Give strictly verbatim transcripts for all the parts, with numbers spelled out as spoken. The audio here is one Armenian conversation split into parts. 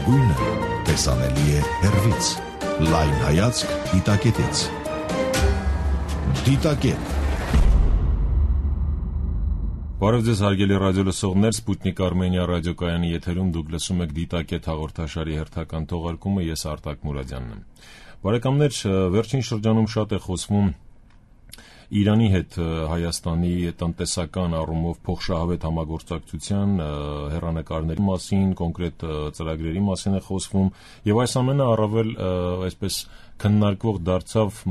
լավագույնը տեսանելի է հեռվից։ Լայն հայացք դիտակետից։ Դիտակետ։ Բարև ձեզ հարգելի ռադիո լսողներ, Սպուտնիկ Արմենիա ռադիոկայանի եթերում դուք լսում եք Դիտակետ հաղորդաշարի հերթական թողարկումը, ես Արտակ Մուրադյանն եմ։ Բարեկամներ, վերջին շրջանում շատ է խոսվում Իրանի հետ Հայաստանի տնտեսական առումով փոխշահավետ համագործակցության հեռանկարների մասին, կոնկրետ ծրագրերի մասին է խոսվում, եւ այս ամենը առավել այսպես քննարկվող դարձավ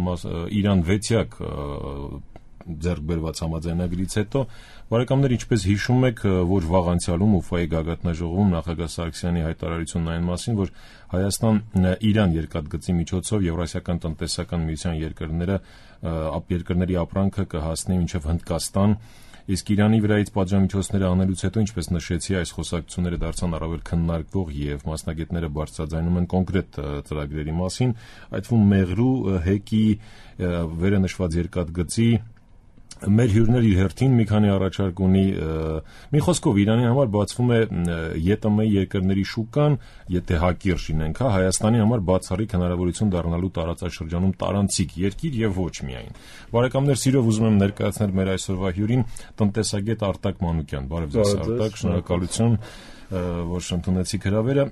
Իրան վեցյակ ձեռք բերված համաձայնագրից հետո։ Բարեկամներ, ինչպես հիշում եք, որ վաղ անցյալում Ուֆայի գագաթնաժողովում նախագահ Սարգսյանի հայտարարությունն այն մասին, որ Հայաստան-Իրան երկաթգծի միջոցով Եվրասիական տնտեսական միության երկրները երկրների ապրանքը կհասնի մինչև Հնդկաստան, իսկ Իրանի վրայից պատժամիջոցները անելուց հետո, ինչպես նշեցի, այս խոսակցությունները դարձան առավել քննարկվող եւ մասնագետները բարձրաձայնում են կոնկրետ ծրագրերի մասին, այդ թվում Մեղրու, Հեկի վերը նշված երկաթգծի մեր հյուրներ իր հերթին մի քանի առաջարկ ունի, մի խոսքով Իրանի համար բացվում է ԵՏՄ երկրների շուկան, եթե հակիրճ լինենք, հա, Հայաստանի համար բացառիկ հնարավորություն դառնալու տարածաշրջանում տարանցիկ երկիր եւ ոչ միայն։ Բարեկամներ, սիրով ուզում եմ ներկայացնել մեր այսօրվա հյուրին, տնտեսագետ Արտակ Մանուկյան։ Բարև ձեզ, Արտակ, շնորհակալություն, որ ընդունեցիք հրավերը։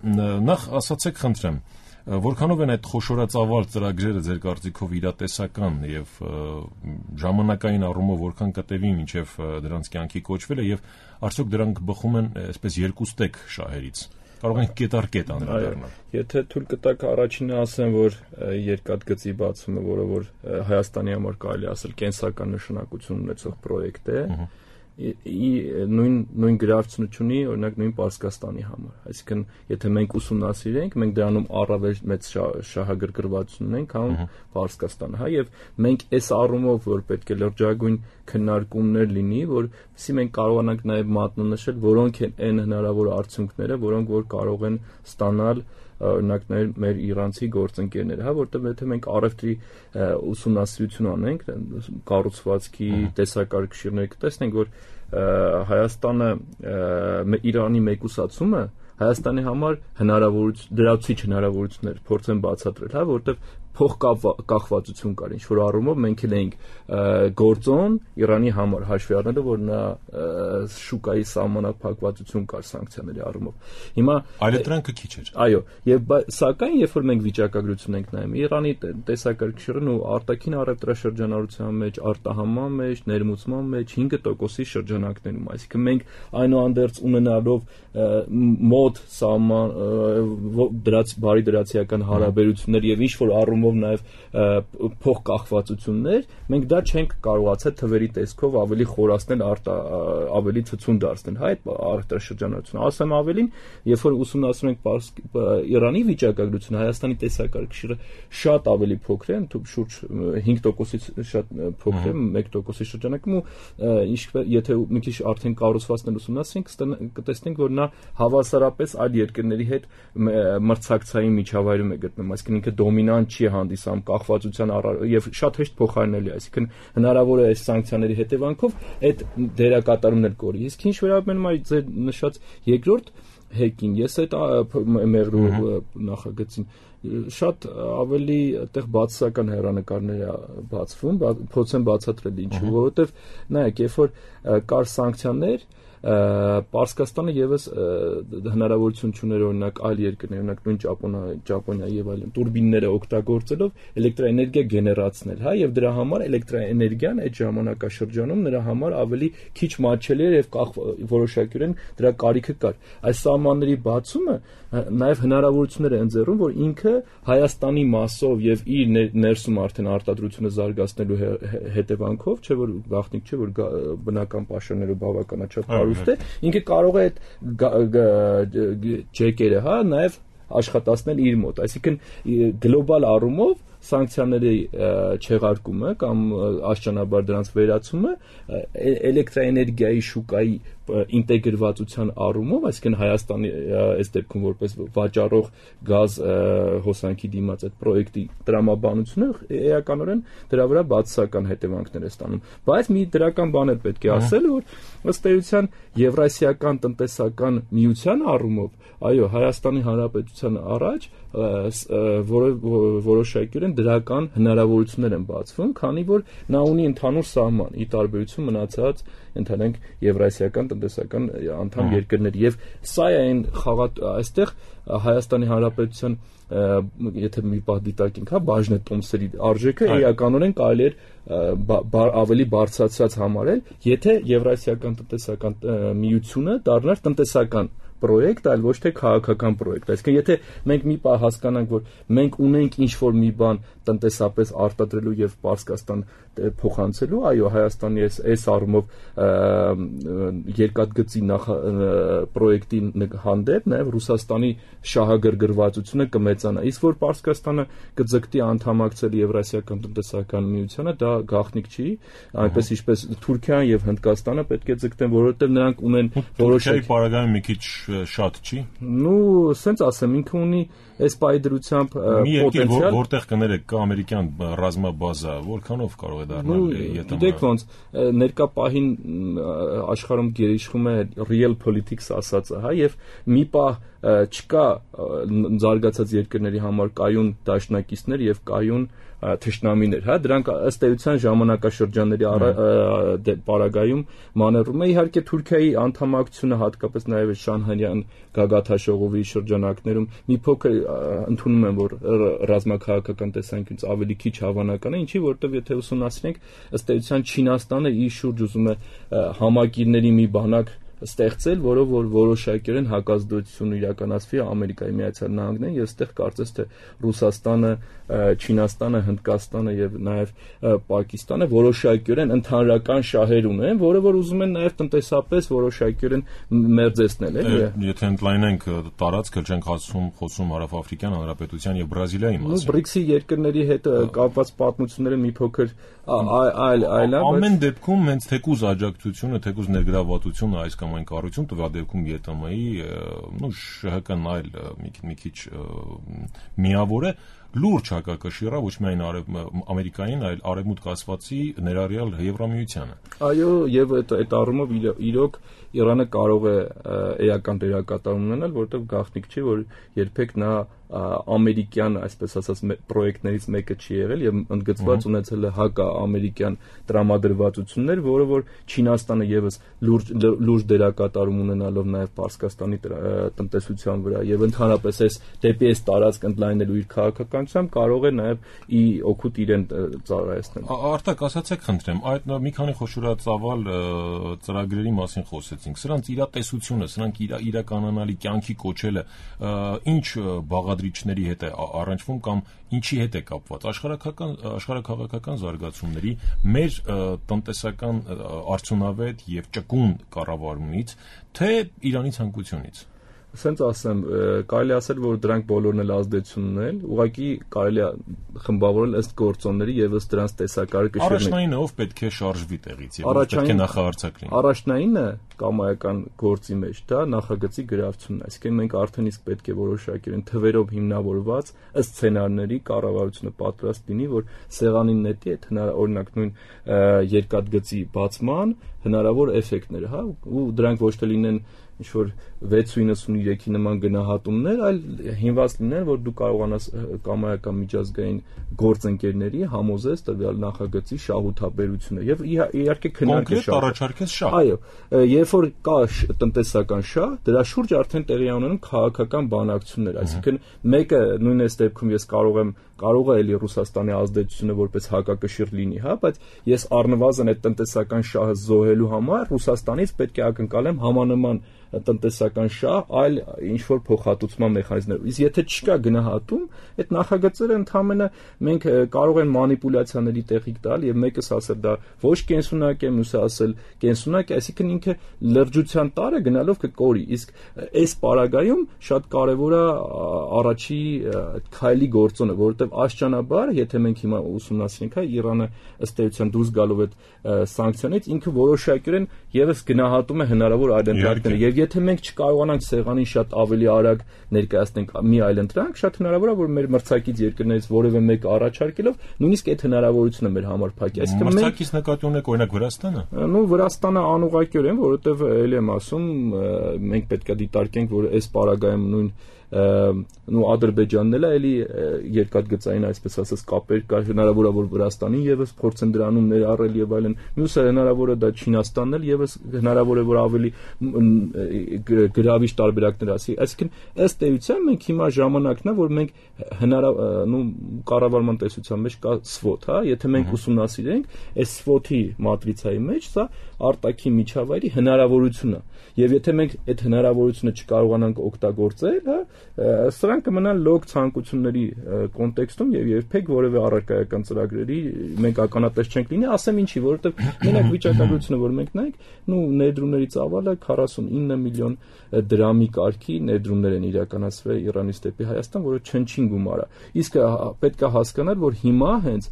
Նախ ասացեք, խնդրեմ, որքանով են այդ խոշորածավալ ծրագրերը ձեր կարծիքով իրատեսական եւ ժամանակային առումով որքան կտևի մինչեւ դրանց կյանքի կոչվելը եւ արդյոք դրանք բխում են այսպես երկուստեք շահերից։ Կարող են կետարկետ անդրադառնալ։ Եթե թույլ կտաք առաջինը ասեմ, որ երկաթգծի բացումը, որը որ Հայաստանի համար կարելի ասել կենսական նշանակություն ունեցող պրոյեկտ է, նույն նույն գրավչություն ունի, օրինակ նույն Պարսկաստանի համար։ Այսինքն, եթե մենք ուսումնասիրենք, մենք դրանում առավել մեծ շահագրգռվածություն ունենք, քան Պարսկաստանը, հա, եւ մենք այս առումով, որ պետք է լրջագույն քննարկումներ լինի, որովհետեւ մենք կարողանանք նաեւ մատնանշել, որոնք են այն հնարավոր արդյունքները, որոնք որ կարող են ստանալ օրինակ մեր իրանցի գործընկերները, հա, որտեղ եթե մենք առևտրի ուսումնասիրություն անենք, կառուցվածքի տեսակարգշիռներ կտեսնենք, որ Հայաստանը Իրանի մեկուսացումը Հայաստանի համար հնարավորություն դրացիչ հնարավորություններ փորձեն բացատրել, հա, որտեղ փոխկախվածություն կար, ինչ որ առումով մենք էլ էինք գործոն Իրանի համար հաշվի առնելով, որ նա շուկայի սահմանափակվածություն կար սանկցիաների առումով։ Հիմա այլընտրանքը քիչ էր։ Այո, եւ սակայն երբ որ մենք վիճակագրություն ենք նայում, Իրանի տեսակարգշիռն ու արտաքին առևտրաշրջանառության մեջ, արտահանման մեջ, ներմուծման մեջ հինգ տոկոսի շրջանակներում, այսինքն մենք այնուհանդերձ ունենալով մոտ սահման դրած բարի դրացիական հարաբերություններ եւ ինչ որ առումով նաեւ փոխկախվածություններ, մենք դա չենք կարողացել թվերի տեսքով ավելի խորացնել, ավելի ցցուն դարձնել, հա, այդ առևտրաշրջանառությունը։ Ասեմ ավելին, երբ որ ուսումնասիրում ենք Իրանի վիճակագրությունը, Հայաստանի տեսակարգշիռը շատ ավելի փոքր է, շուրջ հինգ տոկոսից շատ փոքր է, մեկ տոկոսի շրջանակում, ու ինչ եթե մի քիչ արդեն կառուցվածքներ ուսումնասիրենք, կտեսնենք, որ նա հավասարապես այլ երկրների հետ մրցակցային միջավայրում է գտնվում, այսինքն ինքը դոմինանտ չի հանդիսանում կախվածության եւ շատ հեշտ փոխարինելի է, այսինքն հնարավոր է այս սանկցիաների հետևանքով այդ դերակատարումներ կորի։ Իսկ ինչ վերաբերում է ձեր նշած երկրորդ հեկին, ես այդ Մեղրու նախագծին շատ ավելի այդտեղ բացասական հեռանկարներ է բացվում, փորձեն բացատրել ինչու, որովհետեւ նայեք, երբ որ կար սանկցիաներ, Պարսկաստանը եւս հնարավորություն չուներ օրինակ այլ երկրներ, օրինակ նույն Ճապոնիա, Ճապոնիա եւ այլն տուրբինները օգտագործելով էլեկտրաէներգիա գեներացնել, հա, եւ դրա համար էլեկտրաէներգիան այդ ժամանակաշրջանում նրա համար ավելի քիչ մատչելի էր եւ որոշակյորեն դրա կարիքը կար։ Այս սահմանների բացումը նաեւ հնարավորություններ է ընձեռում, որ ինքը Հայաստանի մասով եւ իր ներսում արդեն արտադրությունը զարգացնելու հետևանքով, չէ՞ որ գաղտնիք չէ, որ բնական պաշարներով բավականաչափ հարուստ է, ինքը կարող է այդ ջեկերը, հա, նաև աշխատացնել իր մոտ, այսինքն գլոբալ առումով սանկցիաների չեղարկումը կամ աշճանաբար դրանց վերացումը էլեկտրաէներգիայի շուկայի ինտեգրվածության առումով, այսինքն Հայաստանի այս դեպքում որպես վաճառող գազ հոսանքի դիմաց այդ պրոյեկտի տրամաբանությունը էականորեն դրա վրա բացասական հետևանքներ է ստանում, բայց մի դրական բան էլ պետք է ասել, որ ըստ էության Եվրասիական տնտեսական միության առումով, այո, Հայաստանի Հանրապետության առաջ որոշակիորեն դրական հնարավորություններ են բացվում, քանի որ նա ունի ընդհանուր սահման, ի տարբերություն մնացած ընդհանրենք Եվրասիական տնտեսական անդամ երկրների, եւ սա է այն խաղատ այստեղ Հայաստանի Հանրապետության եթե մի պահ դիտարկենք, հա, բաժնետոմսերի արժեքը էականորեն կարելի էր ավելի բարձրացած համարել, եթե Եվրասիական տնտեսական միությունը դառնար տնտեսական պրոյեկտ, այլ ոչ թե քաղաքական պրոյեկտ։ Այսինքն, եթե մենք մի պահ հասկանանք, որ մենք ունենք ինչ-որ մի բան տնտեսապես արտադրելու եւ Պարսկաստան փոխանցելու, այո, Հայաստանի այս այս առումով երկաթգծի նախ պրոյեկտի հանդեպ նաեւ Ռուսաստանի շահագրգռվածությունը կմեծանա, իսկ որ Պարսկաստանը կձգտի անդամակցել Եվրասիական տնտեսական միությանը, դա գաղտնիք չի, այնպես ինչպես Թուրքիան եւ Հնդկաստանը պետք է ձգտեն, որովհետեւ նրանք ունեն որոշակի պարագայում մի քիչ շատ չի։ Ну, սենց ասեմ, ինքը ունի այս պայդրությամբ պոտենցիալ, որտեղ կներեք կա ամերիկյան ռազմաբազա, որքանով կարող է դառնալ եթե։ Գիտեք ոնց, ներկա պահին աշխարհում գերիշխում է real politics ասածը, հա, եւ մի պահ չկա զարգացած երկրների համար կայուն դաշնակիցներ եւ կայուն թշնամիներ, հա, դրանք ըստ էության ժամանակաշրջանների պարագայում մանևրում է, իհարկե Թուրքիայի անդամակցությունը հատկապես նաև Շանհանյան գագաթաշողովի շրջանակներում մի փոքր ընդունում եմ, որ ռազմաքաղաքական տեսանկյունից ավելի քիչ հավանական է, ինչի որտեվ եթե ուսումնասիրենք, ըստ էության Չինաստանը իր շուրջ ուզում է համակիրների մի բանակ ստեղծել, որով որ որոշակիորեն հակազդեցություն իրականացվի Ամերիկայի Միացյալ Նահանգներին, եւ այստեղ կարծես թե Ռուսաստանը, Չինաստանը, Հնդկաստանը եւ նաեւ Պակիստանը որոշակիորեն ընդհանրական շահեր ունեն, որը որ ուզում են նաեւ տնտեսապես որոշակիորեն մերձեցնել, էլի։ Եթե ընդլայնենք տարածքը, չենք խոսում խոսում Հարավաֆրիկյան Հանրապետության եւ Բրազիլիայի մասին։ բրիքսի երկրների հետ կապված պատմությունները մի փոքր այլ այլ ամեն դեպքում հենց թեկուզ աջակցությունը, թեկուզ ներգրավվածությունը այս կամ այն կառույցում տվյալ դեպքում ԵՏՄ-ի, նո ՇՀԿ-ն այլ մի քիչ միավոր է, լուրջ հակակշիռ է ոչ միայն Ամերիկային, այլ արևմուտք ասվածի ներառյալ Եվրամիությանը։ Այո, եւ այդ այդ առումով իրոք Իրանը կարող է էական դերակատարում ունենալ, որտեղ գաղտնիք չի, որ երբեք նա ամերիկյան, այսպես ասած, պրոյեկտներից մեկը չի եղել եւ ընդգծված ունեցել է հակա-ամերիկյան տրամադրվածություններ, որը որ Չինաստանը եւս լուրջ լուրջ դերակատարում ունենալով նաեւ Պարսկաստանի տնտեսության վրա եւ ընդհանրապես այս դեպի այս տարածք ընդլայնելու իր քաղաքականությամբ կարող է նաեւ ի օգուտ իրեն ծառայեցնել։ Արտակ, ասացեք խնդրեմ, այդ մի քանի խոշորածավալ ծրագրերի մասին խոսեցինք։ Սրանց իրատեսությունը, սրանք իրականանալի կյանքի կոչելը ինչ բաղադրիչների հետ է առնչվում կամ ինչի հետ է կապված աշխարհակական աշխարհակաղակական զարգացումների մեր տնտեսական արդյունավետ եւ ճկուն կառավարումից թե Իրանի ցանկությունից։ Սենց ասեմ, կարելի ասել, որ դրանք բոլորն էլ ազդեցություն ունեն, ուղղակի կարելի է խմբավորել ըստ գործոնների եւ ըստ դրանց տեսակարը կշռել։ Առաջնայինը ով պետք է շարժվի տեղից եւ ով պետք է նախահարցակ լինի։ Առաջնայինը կամայական գործի մեջ դա նախագծի գրավությունն է, այսինքն մենք արդեն իսկ պետք է որոշակիորեն թվերով հիմնավորված ըստ սցենարների կառավարությունը պատրաստ լինի, որ սեղանին նետի այդ օրինակ նույն երկաթգծի բացման հնարավոր էֆեկտները, հա, ու դրանք ոչ թե լինեն ինչ-որ վեց իննսուներեքի նման գնահատումներ, այլ հիմնված լինեն, որ դու կարողանաս կամայական միջազգային գործընկերների համոզես տվյալ նախագծի շահութաբերությունը եւ իհարկե քննարկել կոնկրետ առաջարկես շահ։ Այո, երբ որ կա տնտեսական շահ, դրա շուրջ արդեն տեղի ունենում քաղաքական բանակցություններ, այսինքն մեկը նույն այս դեպքում ես կարող եմ կարող է էլի Ռուսաստանի ազդեցությունը որպես հակակշիռ լինի, հա, բայց ես առնվազն այդ տնտեսական շահը զոհելու համար Ռուսաստանից պետք է ակնկալեմ համանման տնտեսական շահ, այլ ինչ որ փոխհատուցման մեխանիզմներ։ Իսկ եթե չկա գնահատում, այդ նախագծերը ընդհանրապես մենք կարող են մանիպուլյացիաների տեղիք տալ եւ մեկս ասել դա ոչ կենսունակ է, մյուսը ասել կենսունակ է, այսինքն ինքը լրջության տարը գնալով կկորի։ Իսկ այս պարագայում շատ կարեւոր է առաջի քայլի գործոնը, որովհետեւ որովհետև աշճանաբար, եթե մենք հիմա ուսումնասիրենք, հա, Իրանը ըստ էության դուրս գալով այդ սանկցիաներից ինքը որոշակյորեն եւս գնահատում է հնարավոր այլընտրանքները, եւ եթե մենք չկարողանանք սեղանին շատ ավելի արագ ներկայացնենք մի այլընտրանք, շատ հնարավոր է, որ մեր մրցակից երկրներից որևէ մեկը առաջարկելով նույնիսկ այդ հնարավորությունը մեր համար փակի։ Այսինքն մենք մրցակից նկատի ունեք օրինակ Վրաստանը։ Ну Վրաստանը անուղղակիորեն, որովհետև ելի եմ ասում, մենք պետք է դիտարկենք, որ այս պարագայում նույն նու Ադրբեջանն էլ է էլի երկաթգծային այսպես ասած կապեր կար, հնարավոր է որ Վրաստանին եւս փորձեն դրանում ներառել եւ այլն, մյուսը հնարավոր է դա Չինաստանն էլ եւս հնարավոր է որ ավելի գրավիչ տարբերակներ ասի, այսինքն ըստ էության մենք հիմա ժամանակն է որ մենք հնարավոր նու կառավարման տեսության մեջ կա սվոթ, հա, եթե մենք ուսումնասիրենք այս սվոթի մատրիցայի մեջ սա արտաքին միջավայրի հնարավորությունը եւ եթե մենք այդ հնարավորությունը չկարողանանք օգտագործել, հա, սրանք կմնան լոկ ցանկությունների կոնտեքստում եւ երբեք որևէ առարկայական ծրագրերի մենք ականատես չենք լինի, ասեմ ինչի, որովհետեւ մենակ վիճակագրությունը որ մենք նայենք, նու ներդրումների ծավալը քառասունինը միլիոն դրամի կարգի ներդրումներ են իրականացվել Իրանից դեպի Հայաստան, որը չնչին գումար է։ Իսկ պետք է հասկանալ, որ հիմա հենց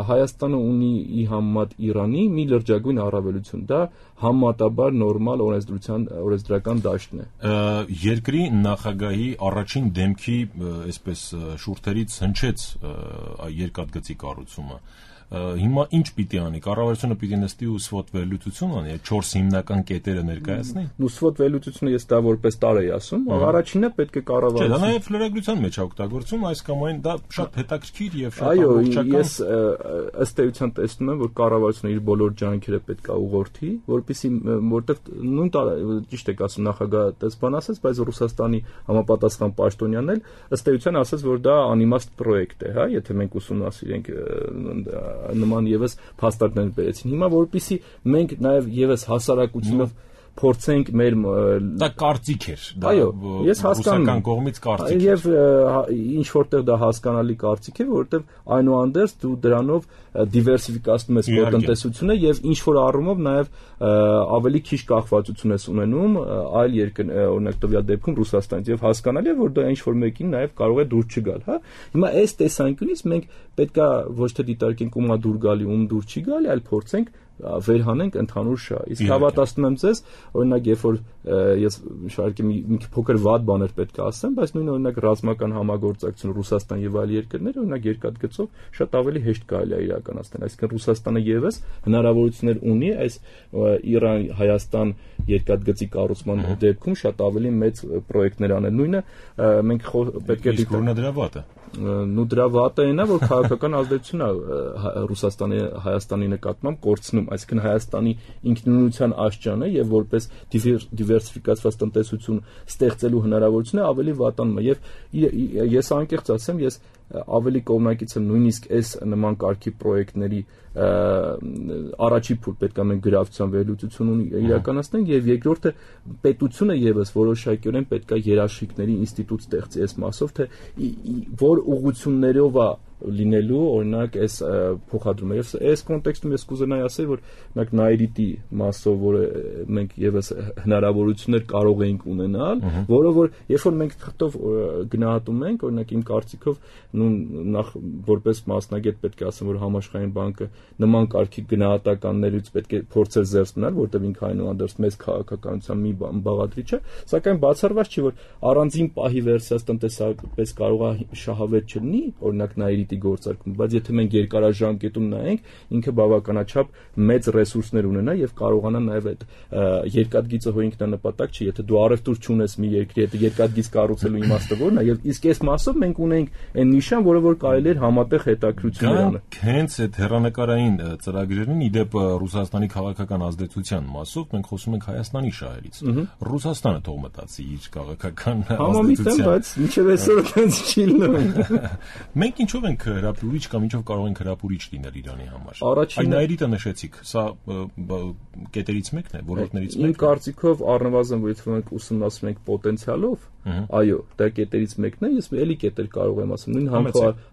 Հայաստանը ունի ի համեմատ Իրանի մի լրջագույն առավելություն, դա համեմատաբար նորմալ օրենսդրության օրենսդրական դաշտն է։ Երկրի նախագահի առաջին դեմքի այսպես շուրթերից հնչեց երկաթգծի կառուցումը։ Հիմա ինչ պիտի անի, կառավարությունը պիտի նստի ու սվոթ վերլուծություն անի, չորս հիմնական կետերը ներկայացնի։ Ու սվոթ վերլուծությունը ես դա որպես տար էի ասում, առաջինը պետք է կառավարությունը։ Չէ, դա նաև լրագրության մեջ է օգտագործում, այս կամ այն դա շատ հետաքրքիր եւ շատ Այո, ամբողջական։ ես ըստ էության տեսնում եմ, որ կառավարությունը իր բոլոր ջանքերը պետք է ուղղորդի, որպեսզի որտեղ նույն ճիշտ եք ասում նախագահ տեսփան ասաց, բայց Ռուսաստանի համապատասխան պաշտոնյանն էլ ըստ էության ասաց, որ դա անիմաստ պրոյեկտ է, հա, եթե մենք ուսումնասիրենք նման եւս փաստարկներ բերեցին։ Հիմա որպեսզի մենք նաեւ եւս հասարակությունով փորձենք մեր դա կարծիք էր, դա ռուսական կողմից կարծիք եւ ինչ որտեղ դա հասկանալի կարծիք է, որովհետեւ այնուհանդերձ դու դրանով դիվերսիֆիկացնում ես քո տնտեսությունը եւ ինչ որ առումով նաեւ ավելի քիչ կախվածություն ես ունենում այլ երկր, օրինակ տվյալ դեպքում Ռուսաստանից եւ հասկանալի է, որ դա ինչ որ մեկին նաեւ կարող է դուր չգալ, հա։ Հիմա այս տեսանկյունից մենք պետքա ոչ թե դիտարկենք ում է դուր գալի, ում դուր չի գալի, այլ փորձենք վերհանենք ընդհանուր շահ։ Իսկ հավատացնում եմ ձեզ, օրինակ երբ որ ես շարքի մի փոքր վատ բաներ պետք է ասեմ, բայց նույն օրինակ ռազմական համագործակցություն Ռուսաստան եւ այլ երկրներ, օրինակ երկաթգծով շատ ավելի հեշտ կարելի է իրականացնել։ Այսինքն Ռուսաստանը եւս հնարավորություններ ունի այս Իրան-Հայաստան երկաթգծի կառուցման դեպքում շատ ավելի մեծ պրոյեկտներ անել։ Նույնը մենք պետք է դիտարկենք դրա վատը։ Նու դրա վատը այնա, որ քաղաքական ազդեցություն է Ռուսաստանի Հայաստանի նկատմամբ կորցնում, այսինքն Հայաստանի ինքնուրույնության աշճանը եւ որպես դիվերսիֆիկացված տնտեսություն ստեղծելու հնարավորությունը ավելի վատանում է եւ ես անկեղծ ասեմ, ես ավելի կողմնակից եմ նույնիսկ այս նման կարգի պրոյեկտների առաջի փուլ պետք է մենք գրավչության վերլուծություն իրականացնենք եւ երկրորդը պետությունը եւս որոշակիորեն պետք է երաշխիքների ինստիտուտ ստեղծի այս մասով, թե որ ուղղություններով է լինելու օրինակ այս փոխադրումը եւ այս կոնտեքստում ես կուզենայի ասել, որ օրինակ Նայրիտի մասով, որը մենք եւս հնարավորություններ կարող էինք ունենալ, որը որ երբ որ մենք թղթով գնահատում ենք, օրինակ իմ կարծիքով նույն նախ որպես մասնագետ պետք է ասեմ, որ համաշխարհային բանկը նման կարգի գնահատականներից պետք է փորձել զերծ մնալ, որտեղ ինքը այնուհանդերձ մեծ քաղաքականության մի բաղադրիչ է, սակայն բացառված չի, որ առանձին պահի վերսիաց տնտեսապես կարող է շահավետ չլինի, օրինակ Նայրիտի գործարկում, բայց եթե մենք երկարաժամկետում նայենք, ինքը բավականաչափ մեծ ռեսուրսներ ունենա եւ կարողանա նաեւ այդ երկաթգիծը հո ինքնանպատակ չի, եթե դու առևտուր չունես մի երկրի հետ, երկաթգիծ կառուցելու իմաստը որն է, եւ իսկ այս մասով մենք ունենք այն նիշան, որը որ կարելի էր համատեղ հետաքրություններ անել։ Հենց այդ հեռանկարային ծրագրերին իդեպ Ռուսաստանի քաղաքական ազդեցության մասով մենք խոսում ենք Հայաստանի շահերից։ Ռուսաստանը թող մտածի իր քաղաքական ազդեցության, բայց մինչեւ այսօր այնց չի լինում։ Մենք ինչով ենք հրապուրիչ կամ ինչով կարող ենք հրապուրիչ լինել Իրանի համար։ Առաջինը Նայրիտը նշեցիք, սա կետերից մեկն է, ոլորտներից մեկն է։ Իմ կարծիքով առնվազն եթե մենք ուսումնասիրենք պոտենցիալով, այո, դա կետերից մեկն է, ես էլի կետեր կարող եմ ասել, նույն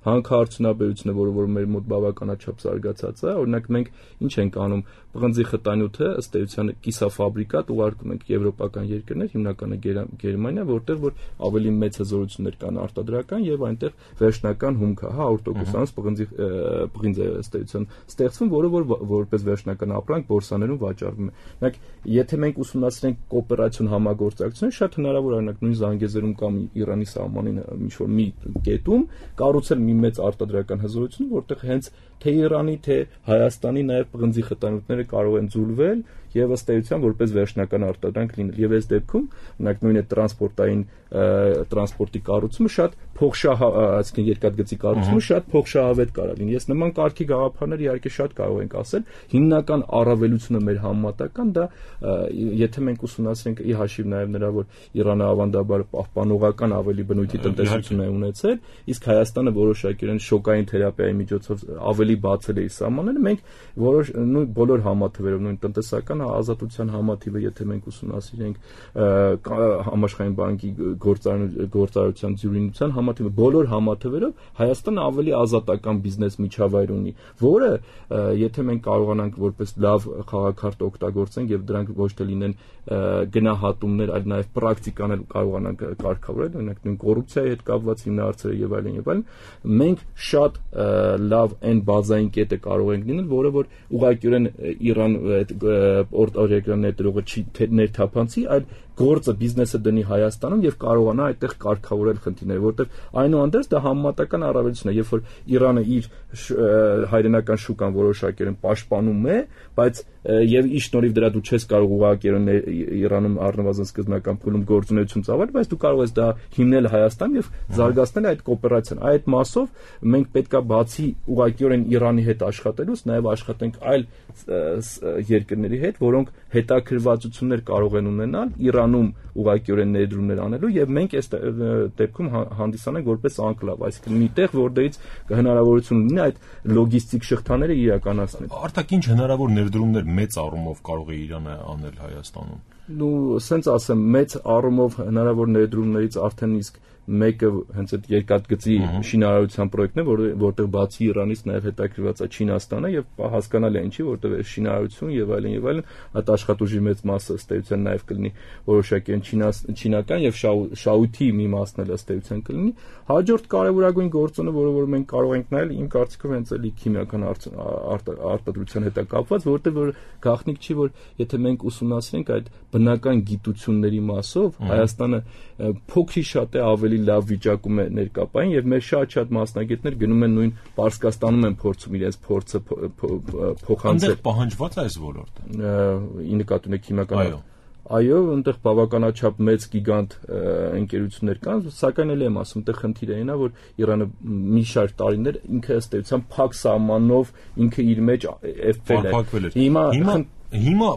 հանքարդյունաբերությունը, որը որ մեր մոտ բավականաչափ զարգացած է, օրինակ մենք ինչ ենք անում, պղնձի խտանյութը ըստ էության կիսաֆաբրիկատ ուղարկում ենք եվրոպական երկրներ, հիմնականը Գերմանիա, որտեղ որ ավելի մեծ հզորություններ կան արտադրական եւ այնտեղ վերջնական հումքը, հա, հարյուր տոկոս պղնձի պղինձ է ըստ էության ստեղծվում, որը որ որպես վերջնական ապրանք բորսաներում վաճառվում է։ Օրինակ, եթե մենք ուսումնասիրենք կոոպերացիոն համագործակցությունը, շատ հնարավոր է օրինակ նույն Զանգեզուրում կամ Իրանի սահմանին ինչ-որ մի կետում կառուցել մի մեծ արտադրական հզորություն, որտեղ հենց թե Իրանի, թե Հայաստանի նաև պղնձի խտանյութերը կարող են ձուլվել եւ ըստ էության որպես վերջնական արտադրանք լինել։ Եվ այս դեպքում, օրինակ նույն է տրանսպորտային տրանսպորտի կառուցումը շատ փոխշահ, այսինքն երկաթգծի կառուցումը շատ փոխշահավետ կարող լինի։ Ես նման կարգի գաղափարներ իհարկե շատ կարող ենք ասել, հիմնական առավելությունը մեր համեմատական դա, եթե մենք ուսումնասիրենք ի հաշիվ նաև նրա, որ Իրանը ավանդաբար պահպանողական ավելի բնույթի տնտեսություն է ունեցել, իսկ Հայաստանը որոշակիորեն շոկային թերապիայի միջոցով ավելի բացել է իր սահմանները, մենք որոշ նույն բոլոր համաթվերով նույն տնտեսական ազատության համաթիվը, եթե մենք ուսումնասիրենք համաշխարհային բանկի գործարարության ձյուրինության համաթիվը, բոլոր համաթվերով Հայաստանը ավելի ազատական բիզնես միջավայր ունի, որը եթե մենք կարողանանք որպես լավ խաղաքարտ օգտագործենք եւ դրանք ոչ թե լինեն գնահատումներ, այլ նաեւ պրակտիկաներ կարողանանք կարգավորել, օրինակ նույն կոռուպցիայի հետ կապված հիմնարարцերը եւ այլն եւ այլն, մենք շատ լավ այն բազային կետը կարող ենք լինել, որը որ ուղղակիորեն Իրան այդ օրենքներ ներդրողը չի ներթափանցի, այլ գործը բիզնեսը դնի Հայաստանում եւ կարողանա այդտեղ կարգավորել խնդիրները, որտեղ այնուհանդերձ դա համեմատական առավելություն է, երբ որ Իրանը իր հայրենական շուկան որոշակիորեն պաշտպանում է, բայց եւ ի շնորհիվ դրա դու չես կարող ուղղակիորեն Իրանում առնվազն սկզբնական փուլում գործունեություն ծավալ, բայց դու կարող ես դա հիմնել Հայաստանում եւ զարգացնել այդ կոոպերացիան։ Այդ մասով մենք պետքա բացի ուղղակիորեն Իրանի հետ աշխատելուց նաեւ աշխատենք այլ երկրների հետ, որոնք հետաքրքրվածություններ կարող են ունենալ Իրանում ուղղակիորեն ներդրումներ անելու եւ մենք այս դեպքում հանդիսանենք որպես անկլավ, այսինքն մի տեղ, որտեղից հնարավորություն ունի այդ լոգիստիկ շղթաները իրականացնել։ Արդյոք ինչ հնարավոր ներդրումներ մեծ առումով կարող է Իրանը անել Հայաստանում։ Ну, սենց ասեմ, մեծ առումով հնարավոր ներդրումներից արդեն իսկ մեկը հենց այդ երկաթգծի շինարարության պրոյեկտն է, որ որտեղ բացի Իրանից նաև հետաքրքրված է Չինաստանը եւ հասկանալի է ինչի, որտեղ է շինարարություն եւ այլն եւ այլն, այդ աշխատուժի մեծ մասը ըստ էության նաև կլինի որոշակի չինական եւ շահույթի մի մասն էլ ըստ էության կլինի։ Հաջորդ կարևորագույն գործոնը, որը որ մենք կարող ենք նայել, իմ կարծիքով հենց էլի քիմիական արտադրության հետ է կապված, որտեղ որ գաղտնիք չի, որ եթե մենք ուսումնասիրենք այդ բնական գիտությունների մասով, Հայաստանը փոքրի շատ է ավելի լավ վիճակում է ներկապային եւ մեր շատ-շատ մասնագետներ գնում են նույն Պարսկաստանում են փորձում իրենց փորձը փոխանցել։ Այնտեղ պահանջված է այս ոլորտը։ Ի նկատի ունեք քիմիական Այո, այնտեղ բավականաչափ մեծ գիգանտ ընկերություններ կան, սակայն էլ եմ ասում, այդտեղ խնդիրը այն է, որ Իրանը մի շարք տարիներ ինքը ըստ էության փակ սահմանով ինքը իր մեջ էֆել է։ Հիմա Հիմա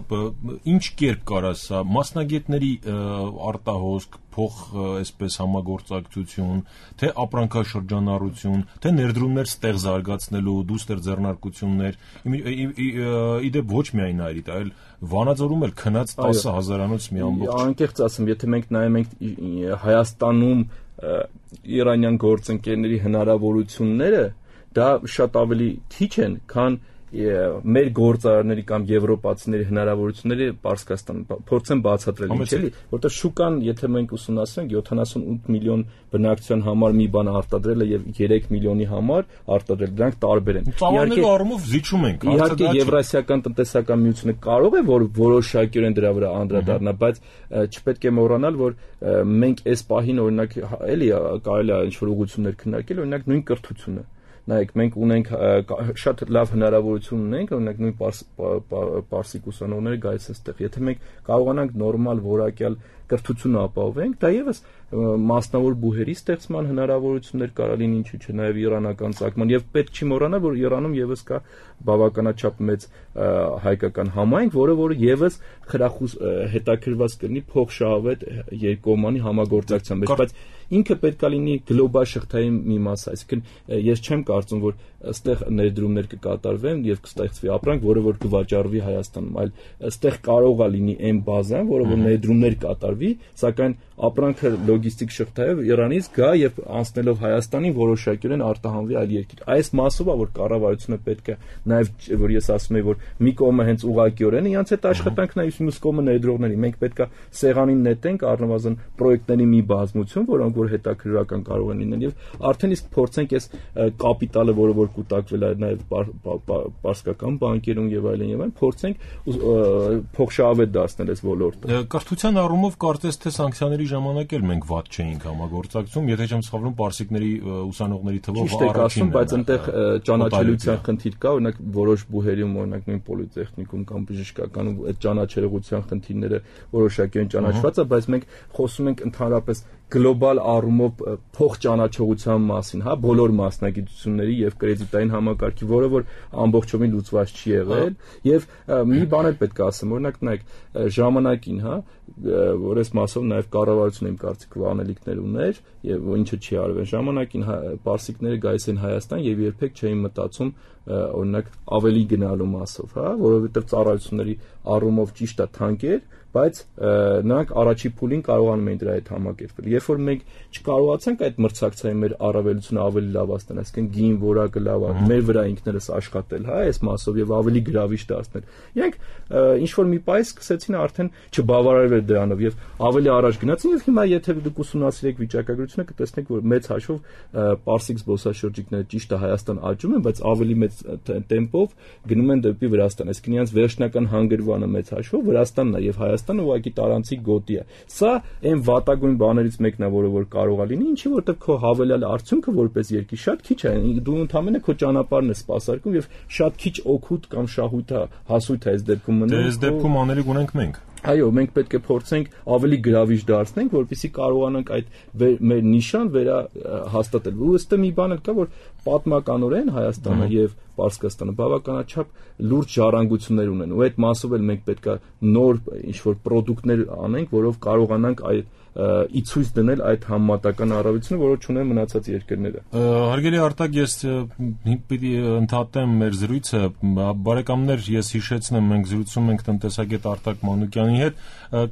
ինչ կերպ կարաս սա մասնագետների արտահոսք, փոխ այսպես համագործակցություն, թե ապրանքաշրջանառություն, թե ներդրումներ ստեղ զարգացնելու, դուստր ձեռնարկություններ, իդեպ ոչ միայն այդ, այլ Վանաձորում էլ քնած տասը հազարանոց մի ամբողջ։ Անկեղծ ասեմ, եթե մենք նայում ենք Հայաստանում իրանյան գործընկերների հնարավորությունները, դա շատ ավելի քիչ են, քան մեր գործարարների կամ եվրոպացիների հնարավորությունները Պարսկաստանում փորձեն բացատրել ինչ էլի, որտեղ շուկան, եթե մենք ուսումնասիրենք յոթանասունութ միլիոն բնակչության համար մի բան արտադրելը եւ երեք միլիոնի համար արտադրել, դրանք տարբեր են։ Իհարկե առումով զիջում ենք, իհարկե Եվրասիական տնտեսական միությունը կարող է որ որոշակիորեն դրա վրա անդրադառնա, բայց չպետք է մոռանալ, որ մենք այս պահին օրինակ էլի կարելի է ինչ-որ ուղղություններ քննարկել, օրինակ նույն կրթությունը Նայեք, մենք ունենք շատ լավ հնարավորություն ունենք, օրինակ նույն պարսիկ ուսանողները գայս այստեղ։ Եթե մենք կարողանանք նորմալ որակյալ կրթություն ապահովենք, դա եւս մասնավոր բուհերի ստեղծման հնարավորություններ կարա լինի, ինչու՞ չէ, նաեւ իրանական ցակման եւ պետք չի մոռանալ, որ Իրանում եւս կա բավականաչափ մեծ հայկական համայնք, որը որ եւս խրախուս հետաքրված կլինի փոխշահավետ երկկողմանի համագործակցության մեջ, բայց ինքը պետքա լինի գլոբալ շղթայի մի մաս, այսինքն ես չեմ կարծում, որ այստեղ ներդրումներ կկատարվեն եւ կստեղծվի ապրանք, որը որ կվաճառվի Հայաստանում, այլ այստեղ կարող է լինի այն բազան, որը որ ներդրումներ կատարվի, սակայն ապրանքը լոգիստիկ շղթայով Իրանից գա եւ անցնելով Հայաստանին որոշակիորեն արտահանվի այլ երկիր։ Այս մասով է որ կառավարությունը պետք է նաեւ որ ես ասում եմ որ մի կողմը հենց ուղղակիորեն իրանց այդ աշխատանքն է, մյուս կողմը ներդրողների։ Մենք պետք է սեղանին նետենք առնվազն պրոյեկտների մի բազմություն, որոնք որ հետաքրքրական կարող են լինել եւ արդեն իսկ փորձենք այս կապիտալը, որը որ կուտակվել է նաեւ պարսկական բանկերում եւ այլն եւ այլն, փորձենք փոխշահավետ դարձնել այս ոլորտը։ Կրթության առումով կարծես թե սանկցիաների ժամանակ էլ մենք վատ չէինք համագործակցում, եթե չեմ սխալվում, պարսիկների ուսանողների թվով առաջինն է, բայց այնտեղ ճանաչելիության խնդիր կա, օրինակ որոշ բուհերում, օրինակ նույն պոլիտեխնիկում կամ բժշկականում այդ ճանաչելիության խնդիրները որոշակիորեն ճանաչված է, բայց մենք խոսում ենք ընդհանրապես գլոբալ առումով փոխճանաչողության մասին, հա, բոլոր մասնագիտությունների եւ կրեդիտային համակարգի, որը որ ամբողջովին լուծված չի եղել, եւ մի բան էլ պետք է ասեմ, օրինակ նայեք, ժամանակին, հա, որ այս մասով նաեւ կառավարությունը իմ կարծիքով անելիքներ ուներ եւ ինչը չի արվել, ժամանակին պարսիկները գայիս են Հայաստան եւ երբեք չէին մտածում օրինակ ավելի գնալու մասով, հա, որովհետեւ ծառայությունների առումով ճիշտ է թանկ էր, բայց նրանք առաջի փուլին կարողանում էին դրա հետ համակերպվել։ Երբ որ մենք չկարողացանք այդ մրցակցային մեր առավելությունը ավելի լավացնել, այսինքն գին որակը լավ է, մեր վրա ինքներս աշխատել, հա, այս մասով եւ ավելի գրավիչ դարձնել։ Իրանք ինչ որ մի պայս սկսեցին արդեն չբավարարվել դրանով եւ ավելի առաջ գնացին եւ հիմա եթե դուք ուսումնասիրեք վիճակագրությունը կտեսնեք որ մեծ հաշվով պարսիկ զբոսաշրջիկները ճիշտ է Հայաստան աճում են, բայց ավելի մեծ տեմպով գնում են դեպի Վրաստան, այսինքն իրանց վերջնական հանգրվանը մեծ հաշվով Վրաստանն է եւ Հայաստանը ուղղակի տարանցիկ գոտի է։ Սա այն վատագույն բաներից մեկն է, որը որ կարող է լինի, ինչի որտեղ քո հավելյալ արդյունքը որպես երկիր շատ քիչ է, դու ընդհանրապես քո ճանապարհն ես սպասարկում եւ շատ քիչ օգուտ կամ շահույթ է, հասույթ է այս դեպքում մնում։ Դե այս դեպքում անելիք ունենք մենք։ Այո, մենք պետք է փորձենք ավելի գրավիչ դարձնենք, որպեսզի կարողանանք այդ մեր նիշան վերա հաստատել։ Ըստ մի բան էլ կա, որ պատմականորեն Հայաստանը եւ Պարսկաստանը բավականաչափ լուրջ ժառանգություններ ունեն, ու այդ մասով էլ մենք պետք է նոր ինչ-որ պրոդուկտներ անենք, որով կարողանանք այդ ի ցույց դնել այդ համեմատական առավելությունը, որը չունեն մնացած երկրները։ Հարգելի Արտակ, ես պիտի ընդհատեմ մեր զրույցը, բարեկամներ, ես հիշեցնեմ, մենք զրուցում ենք տնտեսագետ Արտակ Մանուկյանի հետ,